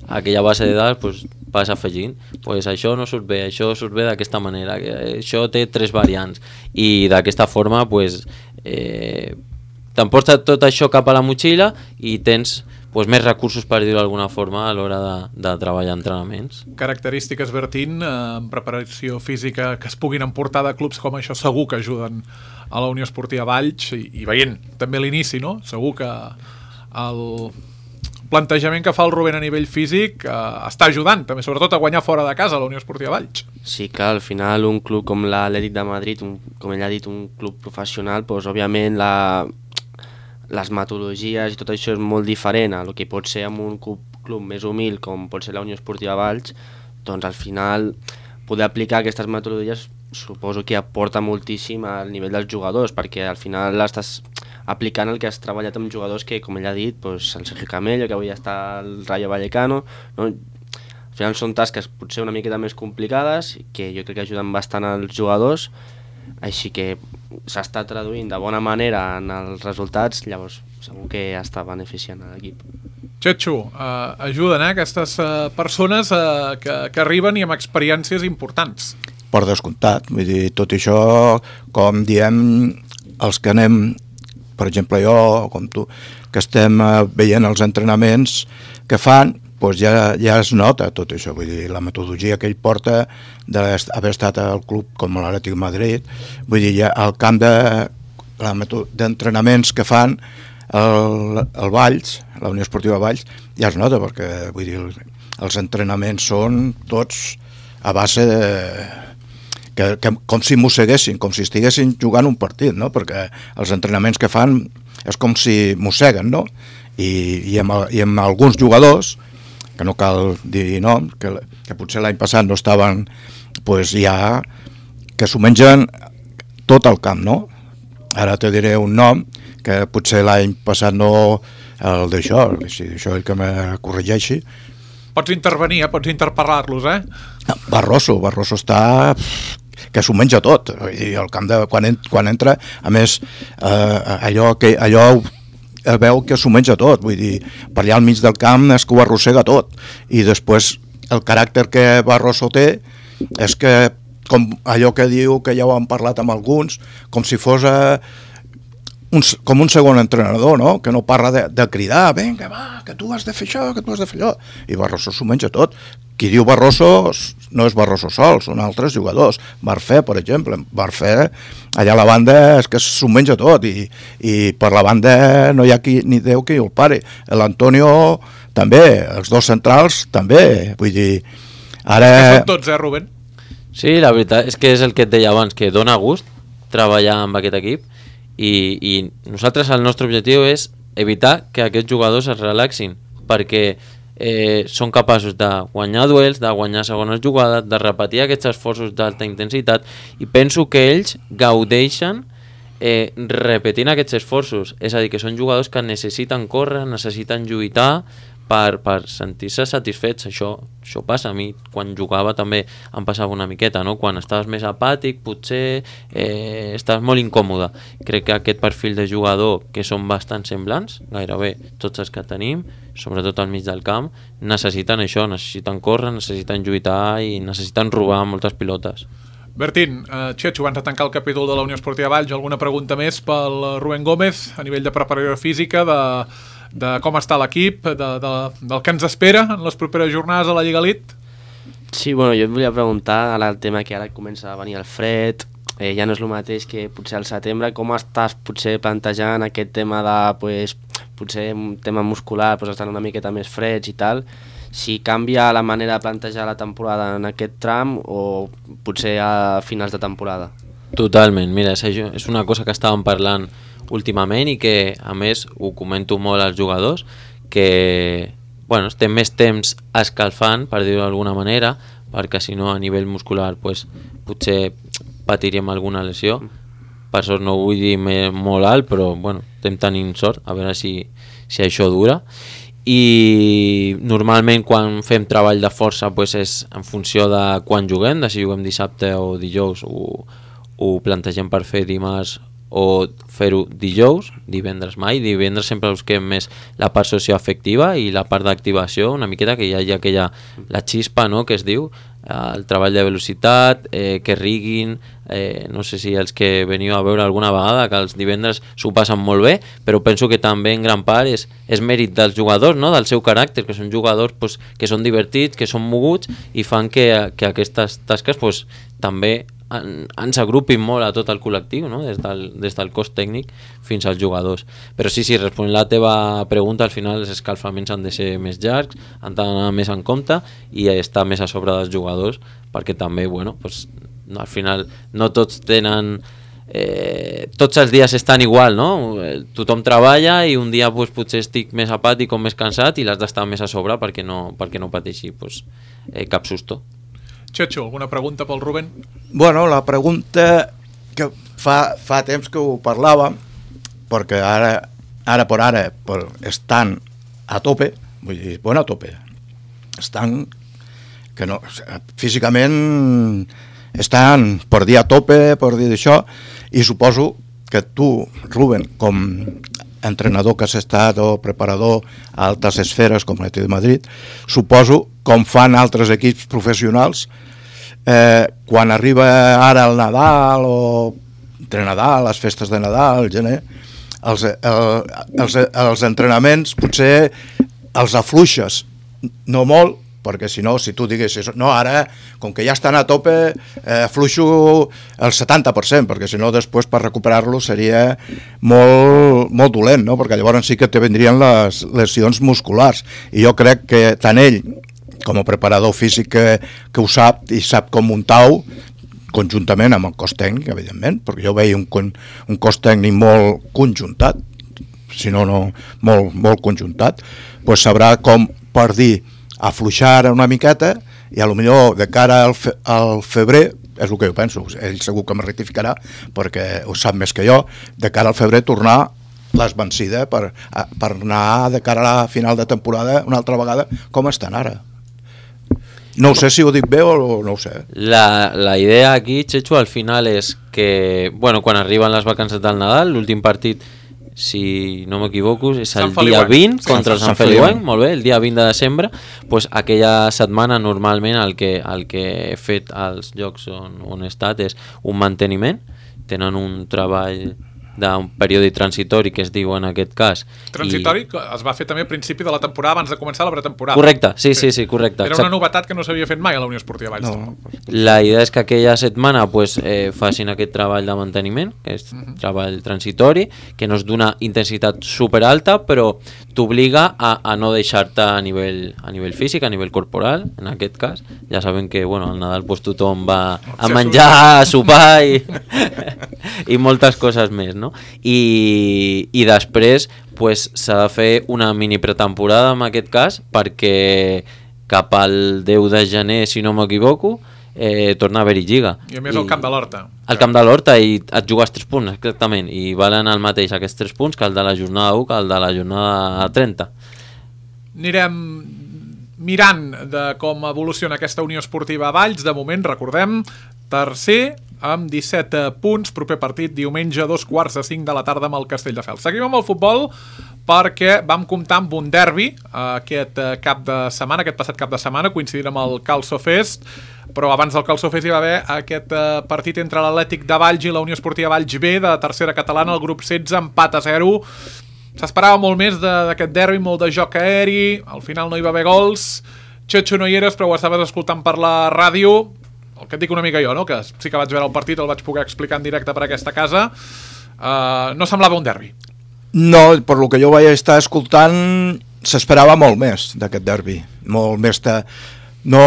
aquella base de dades vas afegint, això no surt bé, això surt bé d'aquesta manera, això té 3 variants, i d'aquesta forma t'emportes tot això cap a la motxilla i tens més recursos, per dir-ho d'alguna forma, a l'hora de treballar entrenaments. Característiques, Bertín, en preparació física que es puguin emportar de clubs com això segur que ajuden a la Unió Esportiva Valls, i veient també l'inici, no? Segur que el plantejament que fa el Rubén a nivell físic està ajudant, també, sobretot a guanyar fora de casa la Unió Esportiva Valls. Sí, que al final un club com l'Atlètic de Madrid, com ell ha dit, un club professional, òbviament les metodologies i tot això és molt diferent a el que pot ser amb un club més humil com pot ser la Unió Esportiva Valls. Doncs al final poder aplicar aquestes metodologies suposo que aporta moltíssim al nivell dels jugadors, perquè al final estàs aplicant el que has treballat amb jugadors que, com ell ha dit, el Sergio Camello, que avui està al Rayo Vallecano, no? Al final són tasques potser una miqueta més complicades que jo crec que ajuden bastant als jugadors, així que s'està traduint de bona manera en els resultats, llavors segur que està beneficiant a l'equip. Txetxo, ajuden aquestes persones que arriben i amb experiències importants. Per descomptat, vull dir, tot això, com diem, els que anem, per exemple jo, com tu, que estem veient els entrenaments que fan, doncs ja es nota tot això, vull dir, la metodologia que ell porta d'haver estat al club com l'Atlètic de Madrid, vull dir, ja el camp d'entrenaments que fan el Valls, la Unió Esportiva Valls, ja es nota, perquè vull dir, els entrenaments són tots a base que com si mosseguessin, com si estiguessin jugant un partit, no? Perquè els entrenaments que fan és com si mosseguen, no? I amb alguns jugadors que no cal dir nom, que potser l'any passat no estaven, pues ja que s'ho mengen tot el camp, no? Ara te diré un nom que potser l'any passat no, el d'això, si això ell que me corregeixi. Pots intervenir, pots interpel·lar-los, Barroso està que s'ho menja tot, vull dir, el camp de quan entra, a més allò veu que s'ho menja tot, vull dir, per allà al mig del camp és que ho arrossega tot, i després el caràcter que Barroso té és que, com allò que diu, que ja ho han parlat amb alguns, com si fos com un segon entrenador, no? Que no parla de cridar, vinga, va, que tu has de fer això, que tu has de fer allò, i Barroso s'ho menja tot. Qui diu Barroso no és Barroso sol, són altres jugadors. Barfé, per exemple, Barfé, allà a la banda és que s'ho menja tot, i per la banda no hi ha ni Déu qui el pare. L'Antonio també, els dos centrals també, vull dir, ara... Són tots, Rubén? Sí, la veritat és que és el que et deia abans, que dona gust treballar amb aquest equip, i nosaltres el nostre objectiu és evitar que aquests jugadors es relaxin, perquè són capaços de guanyar duels, de guanyar segones jugades, de repetir aquests esforços d'alta intensitat, i penso que ells gaudeixen repetint aquests esforços, és a dir, que són jugadors que necessiten córrer, necessiten lluitar per sentir-se satisfets. Això passa a mi quan jugava, també em passava una miqueta, no? Quan estaves més apàtic potser estaves molt incòmode. Crec que aquest perfil de jugador, que són bastant semblants, gairebé tots els que tenim, sobretot al mig del camp, necessiten això, necessiten córrer, necessiten lluitar i necessiten robar moltes pilotes. Bertín, Chechu, abans de tancar el capítol de la Unió Esportiva Valls, alguna pregunta més pel Rubén Gómez a nivell de preparació física, de com està l'equip, del que ens espera en les properes jornades a la Lliga Elite? Sí, bueno, jo et volia preguntar ara el tema que ara comença a venir el fred, ja no és el mateix que potser al setembre, com estàs potser plantejant aquest tema de, pues, potser un tema muscular, pues estan una miqueta més freds i tal, si canvia la manera de plantejar la temporada en aquest tram o potser a finals de temporada? Totalment, mira, és una cosa que estàvem parlant últimament i que a més ho comento molt als jugadors, que bueno, estem més temps escalfant, per dir-ho d'alguna manera, perquè si no a nivell muscular pues, potser patiríem alguna lesió. Per sort no ho vull dir molt alt, però bueno, estem tenint sort, a veure si això dura. I normalment quan fem treball de força pues, és en funció de quan juguem, de si juguem dissabte o dijous, ho plantegem per fer dimarts o fer-ho dijous, divendres mai. Divendres sempre busquem més la part socioafectiva i la part d'activació, una miqueta que hi hagi aquella, la xispa, no?, que es diu, el treball de velocitat, que riguin, no sé si els que veniu a veure alguna vegada, que els divendres s'ho passen molt bé, però penso que també en gran part és mèrit dels jugadors, no?, del seu caràcter, que són jugadors pues, que són divertits, que són moguts i fan que aquestes tasques pues, també ens agrupin molt a tot el col·lectiu, no? des del cos tècnic fins als jugadors. Però sí, responent la teva pregunta, al final els escalfaments han de ser més llargs, han d'anar més en compte i estar més a sobre dels jugadors, perquè també, bueno, pues, al final no tots tenen... tots els dies estan igual, no? Tothom treballa i un dia pues, potser estic més apàtic o més cansat i l'has d'estar més a sobre perquè no pateixi pues, cap susto. Chechu, alguna pregunta pel Rubén? Bueno, la pregunta que fa temps que ho parlàvem, perquè ara estan a tope, vull dir, bueno, a tope, estan, que no, físicament estan per dir a tope, per dir això, i suposo que tu, Rubén, com entrenador que has estat o preparador a altes esferes com l'Atlètic de Madrid, suposo, com fan altres equips professionals, quan arriba ara el Nadal o entre Nadal, les festes de Nadal, el gener, els entrenaments potser els afluixes, no molt, perquè si no, si tu diguessis, no, ara, com que ja estan a tope, afluixo el 70%, perquè si no, després per recuperar-lo seria molt, molt dolent, no? Perquè llavors sí que te vendrien les lesions musculars, i jo crec que tant ell, com a preparador físic que ho sap, i sap com muntar-ho, conjuntament amb el cos tècnic, evidentment, perquè jo veia un cos tècnic molt conjuntat, si no, molt conjuntat, doncs sabrà com, per dir, afluixar una miqueta i a lo millor de cara al febrer, és el que jo penso, ell segur que me rectificarà perquè ho sap més que jo, de cara al febrer tornar l'esvencida per anar de cara a la final de temporada una altra vegada com estan ara. No sé si ho dic bé o no ho sé. La idea aquí, Chechu, al final és que, bueno, quan arriben les vacances del Nadal, l'últim partit, si no m'equivoco, és el dia 20 contra el Sant Feliuenc, molt bé, el dia 20 de desembre, pues aquella setmana normalment el que he fet als llocs on he estat és un manteniment, tenen un treball d'un període transitori que es diu en aquest cas. Transitori que es va fer també a principi de la temporada abans de començar la pretemporada. Correcte, sí, correcte. Era una novetat que no s'havia fet mai a la Unió Esportiva Valls. No. La idea és que aquella setmana pues, facin aquest treball de manteniment, que és treball transitori, que no es dona intensitat superalta, però t'obliga a no deixar-te a nivell físic, a nivell corporal, en aquest cas. Ja saben que bueno, al Nadal pues, tothom va a menjar, a sopar i moltes coses més, no? I després pues, s'ha de fer una mini pretemporada en aquest cas perquè cap al 10 de gener, si no m'equivoco, torna a haver-hi lliga. I a més al Camp de l'Horta. Al Camp de l'Horta i et jugues 3 punts, exactament, i valen el mateix aquests 3 punts que el de la jornada 1 que el de la jornada 30. Anirem mirant de com evoluciona aquesta Unió Esportiva Valls. De moment, recordem, tercer amb 17 punts, proper partit diumenge 2:45 de la tarda amb el Castelldefels. Seguim amb el futbol perquè vam comptar amb un derbi aquest passat cap de setmana, coincidint amb el Calcio Fest, però abans del Calcio Fest hi va haver aquest partit entre l'Atlètic de Valls i la Unió Esportiva Valls B de tercera catalana, el grup 16, empat a 0. S'esperava molt més d'aquest derbi, molt de joc aeri, al final no hi va haver gols. Chechu, no hi eres, però ho estaves escoltant per la ràdio. El que et dic una mica jo, no? Que sí que vaig veure el partit, el vaig poder explicar en directe per aquesta casa. No semblava un derbi. No, per lo que jo vaig estar escoltant, s'esperava molt més d'aquest derbi. Molt més de... No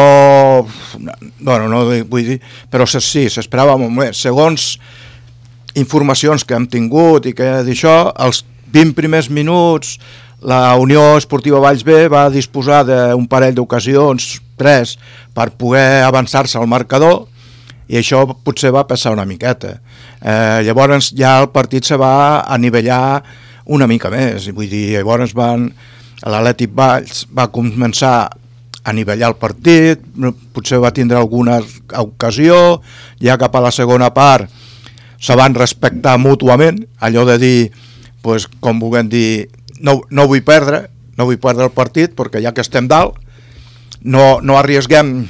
vull dir, però sí, s'esperava molt més. Segons informacions que hem tingut i que d'això, els 20 primers minuts la Unió Esportiva Valls B va disposar d'un parell d'ocasions 3 per poder avançar-se al marcador i això potser va passar una miqueta. Llavors ja el partit se va anivellar una mica més, vull dir, llavors l'Atlètic Valls va començar a nivellar el partit, potser va tindre alguna ocasió, ja cap a la segona part se van respectar mútuament, allò de dir, pues, com vulguem dir, no vull perdre el partit perquè ja que estem dalt no arriesguem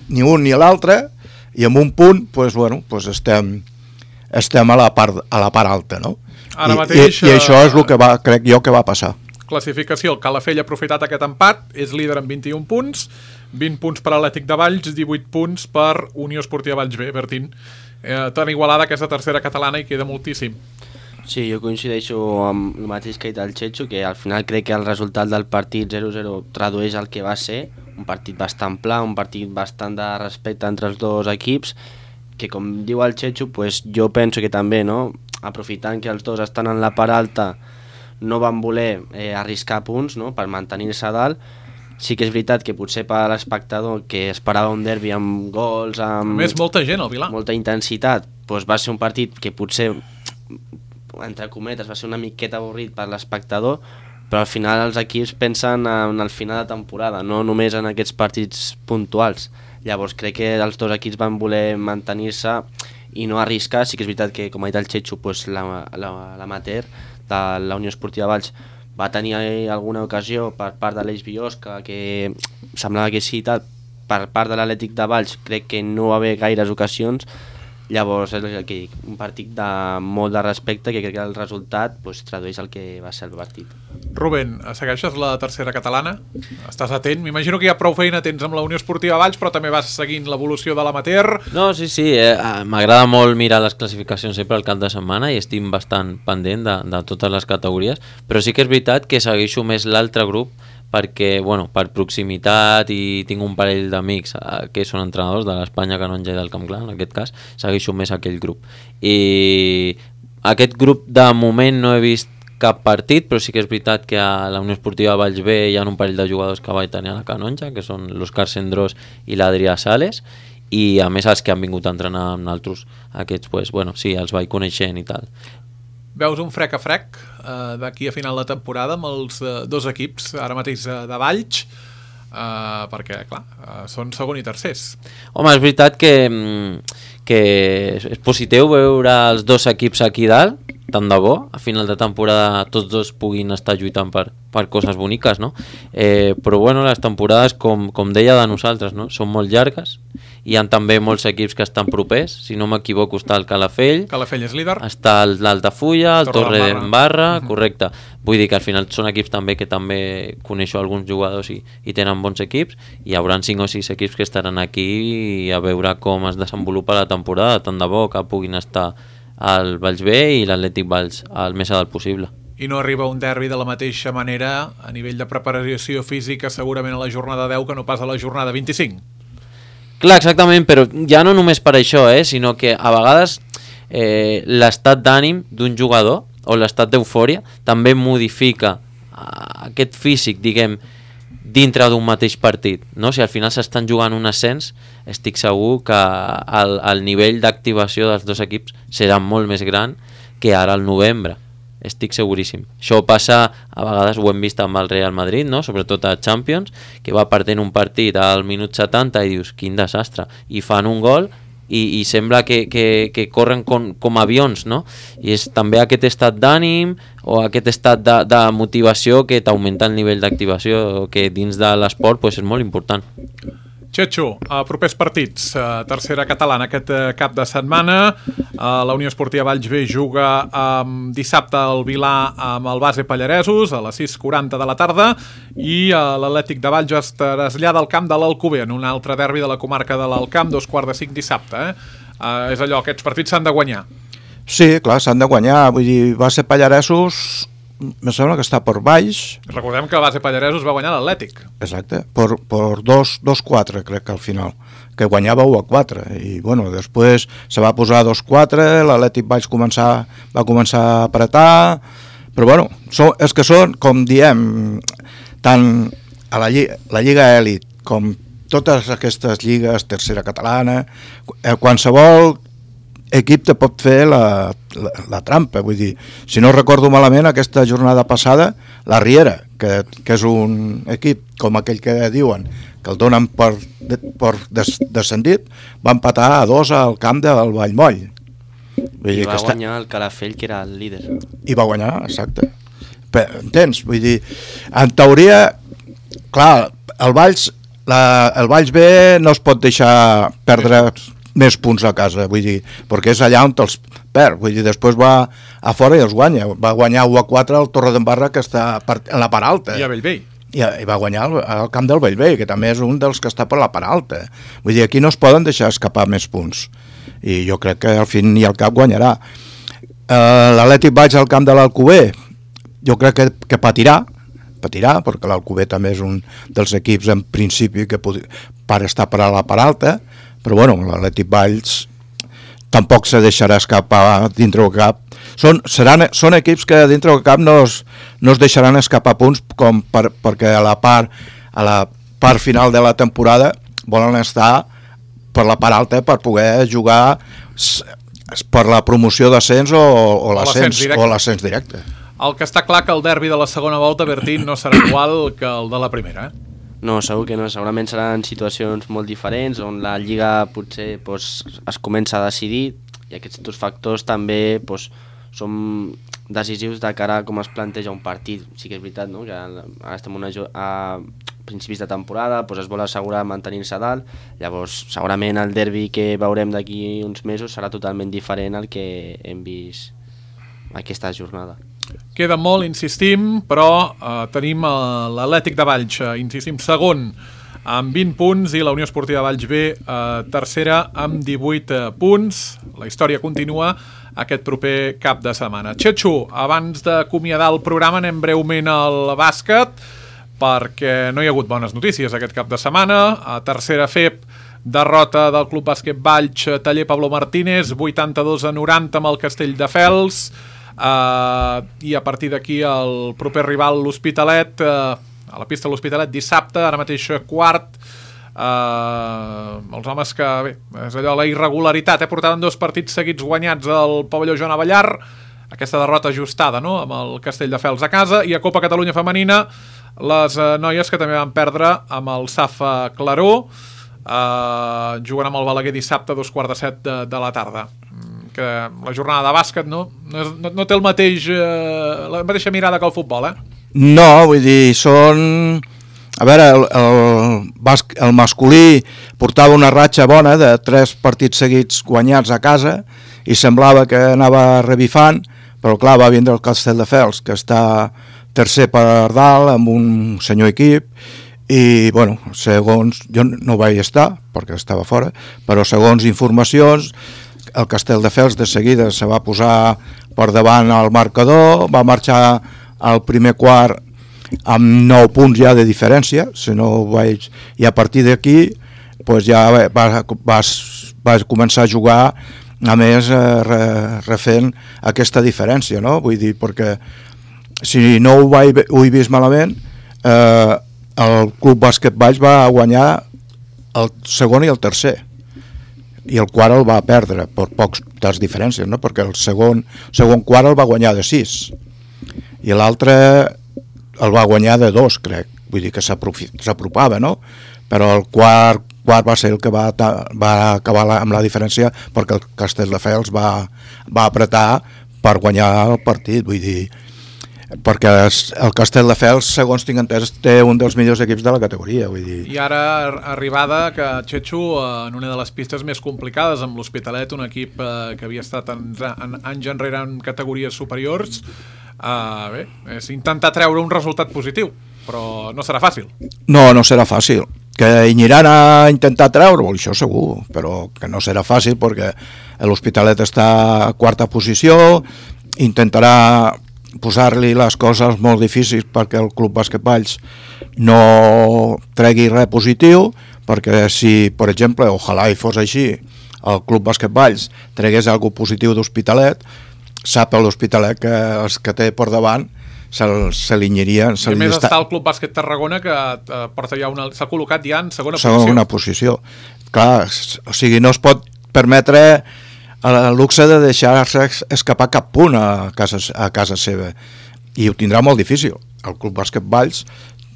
ni un ni l'altre i amb un punt pues, estem a la part alta, no? Ara mateix, i això és el que crec jo que va passar. Classificació, el Calafell ha aprofitat aquest empat, és líder amb 21 punts, 20 punts per Atlètic de Valls, 18 punts per Unió Esportiva Valls B, Bertín. Tan igualada aquesta tercera catalana i queda moltíssim. Sí, jo coincideixo amb el mateix que ha dit el Chechu, que al final crec que el resultat del partit 0-0 tradueix el que va ser, un partit bastant pla, un partit bastant de respecte entre els dos equips, que com diu el Chechu, pues jo penso que també, no? Aprofitant que els dos estan en la part alta, no van voler arriscar punts, no? Per mantenir-se a dalt. Sí que és veritat que potser per a l'espectador que esperava un derbi amb gols, amb... A més, molta gent al Vilà. Molta intensitat, pues va ser un partit que potser, entre cometes, va ser una miqueta avorrit per l'espectador, però al final els equips pensen en el final de temporada, no només en aquests partits puntuals. Llavors crec que els dos equips van voler mantenir-se i no arriscar. Sí que és veritat que, com ha dit el Chechu, pues, l'amateur de la Unió Esportiva Valls va tenir alguna ocasió per part de l'Eix Biosca, que semblava que sí, tal. Per part de l'Atlètic de Valls crec que no va haver gaires ocasions. Llavors és el que dic, un partit de molt de respecte, que crec que el resultat pues, tradueix el que va ser el partit. Rubén, segueixes la tercera catalana? Estàs atent? M'imagino que hi ha prou feina tens amb la Unió Esportiva Valls, però també vas seguint l'evolució de l'amateur. No, sí, m'agrada molt mirar les classificacions sempre al cap de setmana i estic bastant pendent de totes les categories, però sí que és veritat que segueixo més l'altre grup perquè, bueno, per proximitat i tinc un parell d'amics que són entrenadors de l'Espanya Canonja i del Camp Clar, en aquest cas, segueixo més aquell grup. I aquest grup de moment no he vist cap partit, però sí que és veritat que a la Unió Esportiva Valls B hi ha un parell de jugadors que vaig tenir a la canonja, que són l'Òscar Cendrós i l'Adrià Sales, i a més els que han vingut a entrenar amb nosaltres, aquests, pues, bueno, sí, els vaig coneixent i tal. Veus un frec a frec d'aquí a final de temporada amb els dos equips, ara mateix de Valls, perquè, clar, són segon i tercers. Home, és veritat que és positiu veure els dos equips aquí dalt, tant de bo, a final de temporada tots dos puguin estar lluitant per coses boniques, no? Però bueno, les temporades, com deia de nosaltres, no? Són molt llargues, hi ha també molts equips que estan propers, si no m'equivoco està el Calafell És líder, està l'Altafulla, el Torredembarra, correcte, vull dir que al final són equips també que també coneixo alguns jugadors i tenen bons equips, i hi haurà 5 o 6 equips que estaran aquí a veure com es desenvolupa la temporada, tant de bo que puguin estar al Valls B i l'Atlètic Valls al més a dalt possible. I no arriba un derbi de la mateixa manera a nivell de preparació física segurament a la jornada 10 que no pas a la jornada 25. Clar, exactament, però ja no només per això, sinó que a vegades l'estat d'ànim d'un jugador o l'estat d'eufòria també modifica aquest físic, diguem, dintre d'un mateix partit, no? Si al final s'estan jugant un ascens, estic segur que el nivell d'activació dels dos equips serà molt més gran que ara al novembre, estic seguríssim. Això passa, a vegades ho hem vist amb el Real Madrid, no? Sobretot a Champions, que va perdent un partit al minut 70 i dius, quin desastre, i fan un gol i sembla que corren com avions, no? I és també aquest estat d'ànim o aquest estat de motivació que t'augmenta el nivell d'activació, que dins de l'esport pues, és molt important. Txetxo, propers partits, tercera catalana aquest cap de setmana, la Unió Esportiva Valls B juga dissabte al Vilà amb el Base Pallaresos a les 6:40 de la tarda i l'Atlètic de Valls es trasllada al camp de l'Alcover en un altre derbi de la comarca de l'Alt Camp, 4:45 dissabte. És allò, aquests partits s'han de guanyar. Sí, clar, s'han de guanyar, vull dir, Base Pallaresos me sembla que està per baix. Recordem que el Base Pallaresos va guanyar l'Atlètic. Exacte, per 2-4 crec que al final, que guanyava 1-4 i bueno, després se va posar 2-4, l'Atlètic va començar a apretar, però bueno, és que són, com diem, tant a la Lliga Elit com totes aquestes lligues, tercera catalana, qualsevol equip te pot fer la trampa, vull dir, si no recordo malament aquesta jornada passada, la Riera, que és un equip com aquell que diuen que el donen per descendit, va empatar a 2 al camp del Vallmoll. I va guanyar el Calafell, que era el líder. I va guanyar, exacte. Entens? Vull dir, en teoria, clar, el Valls B no es pot deixar perdre més punts a casa, vull dir, perquè és allà on els perd, vull dir, després va a fora i els guanya, va guanyar 1-4 al Torredembarra, que està en la part alta, i a Bellvei, i va guanyar al camp del Bellvei, que també és un dels que està per la part alta, vull dir, aquí no es poden deixar escapar més punts, i jo crec que al fin i al cap guanyarà. L'Atlètic Valls al camp de l'Alcover, jo crec que patirà, perquè l'Alcover també és un dels equips en principi que per estar per a la part alta, però bueno, l'Atlètic Valls tampoc se deixarà escapar dintre el cap. Són equips que dintre el cap no es deixaran escapar punts perquè a la part final de la temporada volen estar per la part alta per poder jugar per la promoció d'ascens o l'ascens directe. El que està clar que el derbi de la segona volta, Bertín, no serà igual que el de la primera, No, segur que no, segurament seran situacions molt diferents on la Lliga potser es comença a decidir i aquests dos factors també són decisius de cara a com es planteja un partit. Sí que és veritat, no? Que ara estem a principis de temporada, es vol assegurar mantenir-se dalt, llavors segurament el derbi que veurem d'aquí uns mesos serà totalment diferent al que hem vist aquesta jornada. Queda molt, insistim, però tenim l'Atlètic de Valls, insistim, segon amb 20 punts i la Unió Esportiva Valls B tercera amb 18 punts. La història continua aquest proper cap de setmana. Txetxo, abans d'acomiadar el programa anem breument al bàsquet perquè no hi ha hagut bones notícies aquest cap de setmana. A tercera FEP, derrota del Club Bàsquet Valls Taller Pablo Martínez, 82-90 amb el Castelldefels. i a partir d'aquí el proper rival l'Hospitalet, a la pista de l'Hospitalet dissabte, ara mateix quart. Els homes que, bé, és allò, la irregularitat, portaven 2 partits seguits guanyats al pavelló Joan Avellar, aquesta derrota ajustada, no?, amb el Castelldefels a casa, i a Copa Catalunya Femenina les noies que també van perdre amb el Safa Claró, jugant amb el Balaguer dissabte a 2:15 de la tarda. Que la jornada de bàsquet no té la mateixa mirada que el futbol, No, vull dir, són... A veure, el masculí portava una ratxa bona de 3 partits seguits guanyats a casa i semblava que anava revifant, però clar, va vindre el Castelldefels, que està tercer per dalt, amb un senyor equip, i, bueno, segons... Jo no vaig estar, perquè estava fora, però segons informacions, el Castelldefels de seguida se va posar per davant al marcador, va marxar al primer quart amb 9 punts ja de diferència, si no vaig... I a partir d'aquí pues ja vas començar a jugar, a més refent aquesta diferència, no? Vull dir, perquè si no ho he vist malament, el Club Bàsquet Valls va guanyar el segon i el tercer, i el quart el va perdre per pocs diferències, no? Perquè el segon quart el va guanyar de 6 i l'altre el va guanyar de 2, crec, vull dir que s'apropava, no? Però el quart va ser el que va acabar amb la diferència, perquè el Castelldefels va apretar per guanyar el partit, vull dir, perquè el Castelldefels, segons tinc entès, té un dels millors equips de la categoria, vull dir. I ara arribada que Txetxo, en una de les pistes més complicades amb l'Hospitalet, un equip que havia estat anys enrere en categories superiors, bé, és intentar treure un resultat positiu, però no serà fàcil. No serà fàcil. Que hi aniran a intentar treure-ho, això segur, però que no serà fàcil perquè l'Hospitalet està a quarta posició, intentarà posar-li les coses molt difícils perquè el Club Bàsquet Valls no tregui res positiu, perquè si, per exemple, ojalà hi fos així, el Club Bàsquet Valls tregués alguna positiu d'Hospitalet, sap l'Hospitalet que els que té per davant se li anirien... I a més està el Club Bàsquet Tarragona que porta ja s'ha col·locat ja en segona posició. Clar, o sigui, no es pot permetre el luxe de deixar-se escapar cap punt a casa seva, i ho tindrà molt difícil. El Club Bàsquet Valls,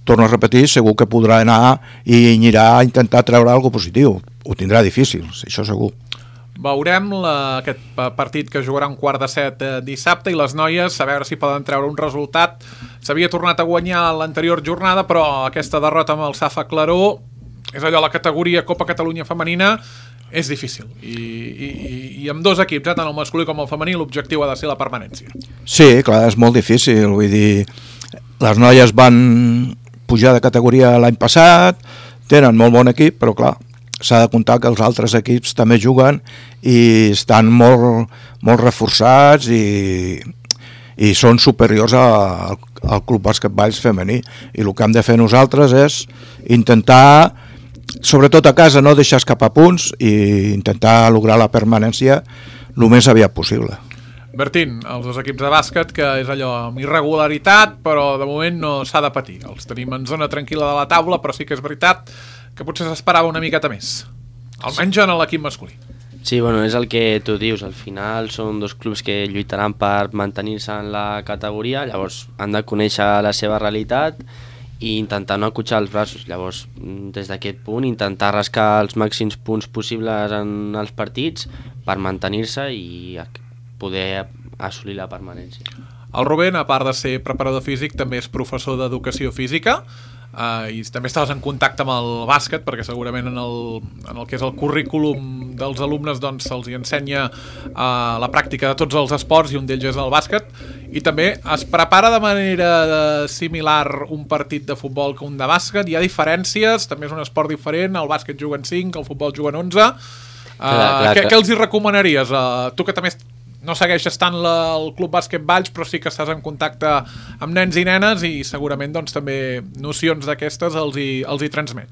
torno a repetir, segur que podrà anar i anirà a intentar treure alguna positiu. Ho tindrà difícil, això segur. Veurem aquest partit que jugarà un 6:15 dissabte, i les noies a veure si poden treure un resultat. S'havia tornat a guanyar l'anterior jornada, però aquesta derrota amb el Safa Claró, és allò, la categoria Copa Catalunya Femenina és difícil, i amb 2 equips, tant el masculí com el femení, l'objectiu ha de ser la permanència. Sí, clar, és molt difícil, vull dir, les noies van pujar de categoria l'any passat, tenen molt bon equip, però clar, s'ha de comptar que els altres equips també juguen i estan molt reforçats i són superiors al Club Bàsquet Valls femení, i el que hem de fer nosaltres és intentar, sobretot a casa, no deixar escapar punts i intentar lograr la permanència el més aviat possible. Bertín, els 2 equips de bàsquet, que és allò amb irregularitat, però de moment no s'ha de patir. Els tenim en zona tranquil·la de la taula, però sí que és veritat que potser s'esperava una miqueta més, almenys en l'equip masculí. Sí, bueno, és el que tu dius, al final són 2 clubs que lluitaran per mantenir-se en la categoria, llavors han de conèixer la seva realitat i intentar no acotxar els braços. Llavors, des d'aquest punt, intentar rascar els màxims punts possibles en els partits per mantenir-se i poder assolir la permanència. El Rubén, a part de ser preparador físic, també és professor d'educació física, i també estaves en contacte amb el bàsquet, perquè segurament en el que és el currículum dels alumnes doncs se'ls ensenya la pràctica de tots els esports, i un d'ells és el bàsquet, i també es prepara de manera similar un partit de futbol que un de bàsquet. Hi ha diferències, també és un esport diferent, el bàsquet juguen 5, el futbol juguen 11. Què els hi recomanaries? Tu que també no segueix estant el Club Bàsquet Valls, però sí que estàs en contacte amb nens i nenes, i segurament doncs, també nocions d'aquestes els hi transmet.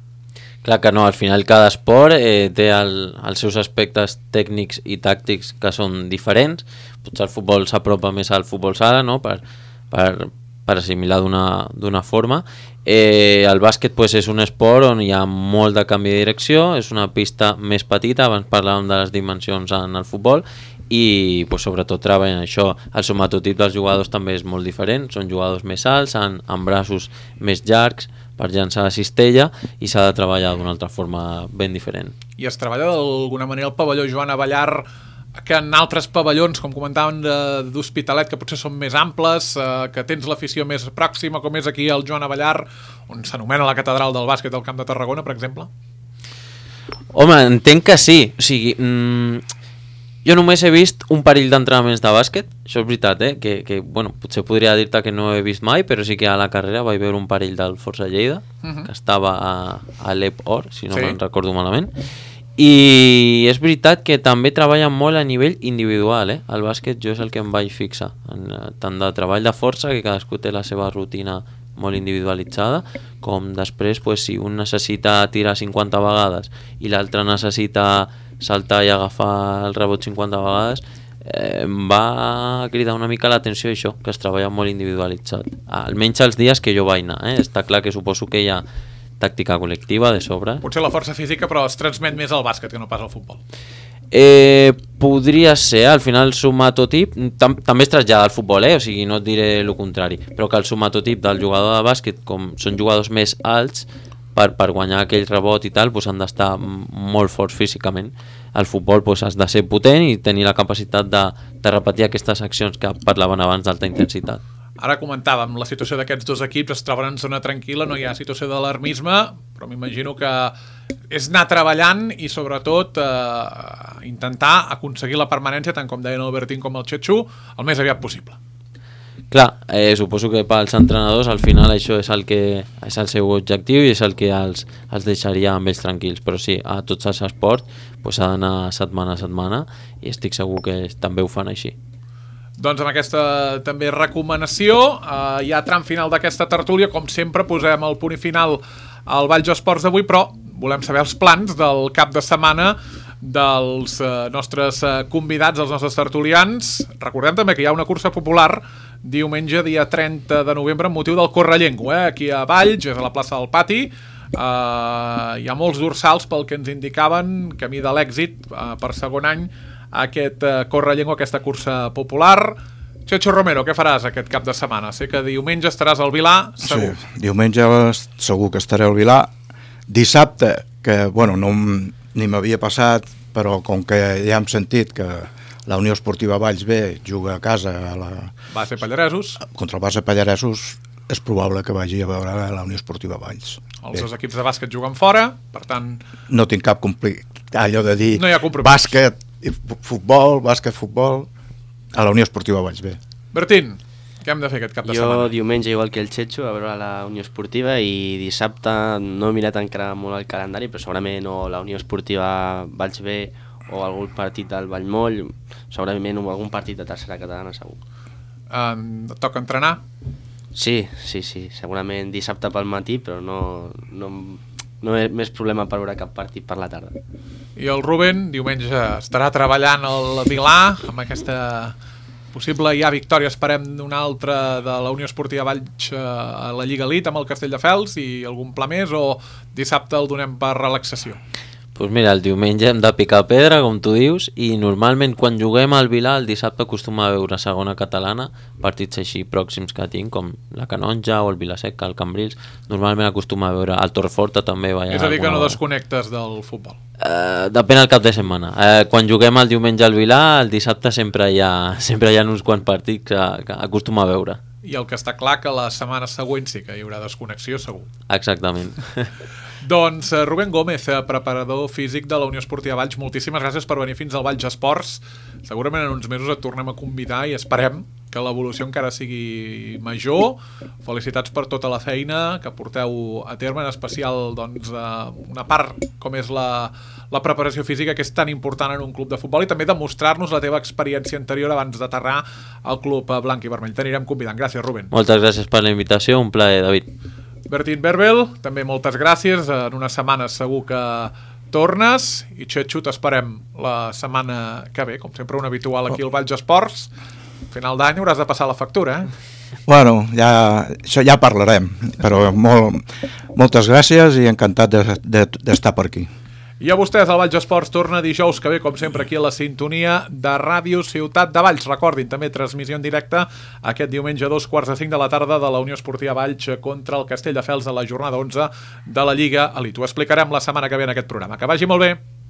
Clar que no, al final cada esport té els seus aspectes tècnics i tàctics que són diferents. Potser el futbol s'apropa més al futbol sala, no? per assimilar d'una forma. El bàsquet pues, és un esport on hi ha molt de canvi de direcció, és una pista més petita, abans parlàvem de les dimensions en el futbol, i pues, sobretot treballen això. El somatotip dels jugadors també és molt diferent, són jugadors més alts, amb braços més llargs per llançar la cistella, i s'ha de treballar d'una altra forma ben diferent. I es treballa d'alguna manera el pavelló Joan Avellar, que en altres pavellons, com comentaven d'Hospitalet, que potser són més amples, que tens l'afició més pròxima, com és aquí el Joan Avellar, on s'anomena la catedral del bàsquet del Camp de Tarragona, per exemple? Home, entenc que sí. O sigui, jo només he vist un parell d'entrenaments de bàsquet, això és veritat, que bueno, potser podria dir-te que no he vist mai, però sí que a la carrera vaig veure un parell del Força Lleida, que estava a l'Ep Or, si no me'n recordo malament. I és veritat que també treballen molt a nivell individual, el bàsquet jo és el que em vaig fixar, tant de treball de força, que cadascú té la seva rutina molt individualitzada, com després pues, si un necessita tirar 50 vegades i l'altre necessita saltar i agafar el rebot 50 vegades, em va cridar una mica l'atenció això, que es treballa molt individualitzat, almenys els dies que jo vaig anar, està clar que suposo que hi ha tàctica col·lectiva de sobre. Potser la força física, però es transmet més al bàsquet que no pas al futbol. Podria ser, al final el somatotip també es trasllada al futbol, o sigui, no et diré el contrari, però que el somatotip del jugador de bàsquet, com són jugadors més alts, per guanyar aquell rebot i tal, doncs han d'estar molt forts físicament. Al futbol doncs, has de ser potent i tenir la capacitat de repetir aquestes accions que parlaven abans d'alta intensitat. Ara comentàvem, la situació d'aquests dos equips es troben en zona tranquil·la, no hi ha situació d'alarmisme, però m'imagino que és anar treballant i sobretot intentar aconseguir la permanència, tant com deien el Bertín com el Txetxu, el més aviat possible. Clar, suposo que pels entrenadors al final això és el seu objectiu i és el que els deixaria amb ells tranquils, però sí, a tots els esports s'ha d'anar setmana a setmana i estic segur que també ho fan així. Doncs amb aquesta també recomanació hi ha tram final d'aquesta tertúlia. Com sempre posem el punt i final al Valls Esports d'avui, però volem saber els plans del cap de setmana dels nostres convidats, els nostres tertulians. Recordem també que hi ha una cursa popular diumenge, dia 30 de novembre, amb motiu del Correllengo, aquí a Valls, és a la plaça del Pati. Hi ha molts dorsals pel que ens indicaven, camí de l'èxit per segon any, aquest Correllengo, aquesta cursa popular. Txetxo Romero, què faràs aquest cap de setmana? Sé que diumenge estaràs al Vilar, segur. Sí, diumenge segur que estaré al Vilar. Dissabte, que bueno, ni m'havia passat, però com que ja hem sentit que la Unió Esportiva Valls B juga a casa a la Base Pallaresos. Contra el Base Pallaresos, és probable que vagi a veure la Unió Esportiva Valls. Els dos equips de bàsquet juguen fora, per tant... No tinc cap allò de dir no hi ha compromís. Bàsquet, futbol, bàsquet-futbol a la Unió Esportiva Valls B. Bertín, què hem de fer aquest cap de setmana? Jo diumenge, igual que el Txetxo, a veure la Unió Esportiva, i dissabte no he mirat encara molt el calendari, però segurament o la Unió Esportiva Valls B o algun partit del Vallmoll, segurament algun partit de tercera catalana, segur. Toca entrenar? Sí, segurament dissabte pel matí, però no és més problema per veure cap partit per la tarda. I el Rubén diumenge estarà treballant al Vilar amb aquesta possible ja victòria, esperem, d'una altra de la Unió Esportiva Valls a la Lliga Elite amb el Castelldefels, i algun pla més, o dissabte el donem per relaxació? Doncs mira, el diumenge hem de picar pedra, com tu dius, i normalment quan juguem al Vilar el dissabte acostuma a veure segona catalana, partits així pròxims que tinc, com la Canonja o el Vilaseca, el Cambrils, normalment acostuma a veure, el Torreforta també. És a dir, que no desconnectes del futbol? Depèn del cap de setmana. Quan juguem el diumenge al Vilar, el dissabte sempre hi ha uns quants partits que acostuma a veure. I el que està clar que la setmana següent sí que hi haurà desconnexió, segur. Exactament. Doncs Rubén Gómez, preparador físic de la Unió Esportiva Valls, moltíssimes gràcies per venir fins al Valls Esports. Segurament en uns mesos et tornem a convidar i esperem que l'evolució encara sigui major. Felicitats per tota la feina que porteu a terme, en especial doncs, una part com és la preparació física, que és tan important en un club de futbol, i també demostrar-nos la teva experiència anterior abans d'aterrar al club blanc i vermell. T'anirem convidant. Gràcies, Rubén. Moltes gràcies per la invitació, un plaer, David. Bertín Berbel, també moltes gràcies. En unes setmanes segur que tornes. I Txetxo, t'esperem la setmana que ve, com sempre un habitual aquí al Valls Esports. Final d'any hauràs de passar la factura, Bueno, això ja parlarem, però moltes gràcies i encantat d'estar per aquí. I a vostès, el Valls Esports torna dijous que ve, com sempre, aquí a la sintonia de Ràdio Ciutat de Valls. Recordin, també transmissió en directe aquest diumenge a 2:45 de la tarda de la Unió Esportiva Valls contra el Castelldefels a la jornada 11 de la Lliga Elite. Ho explicarem la setmana que ve en aquest programa. Que vagi molt bé.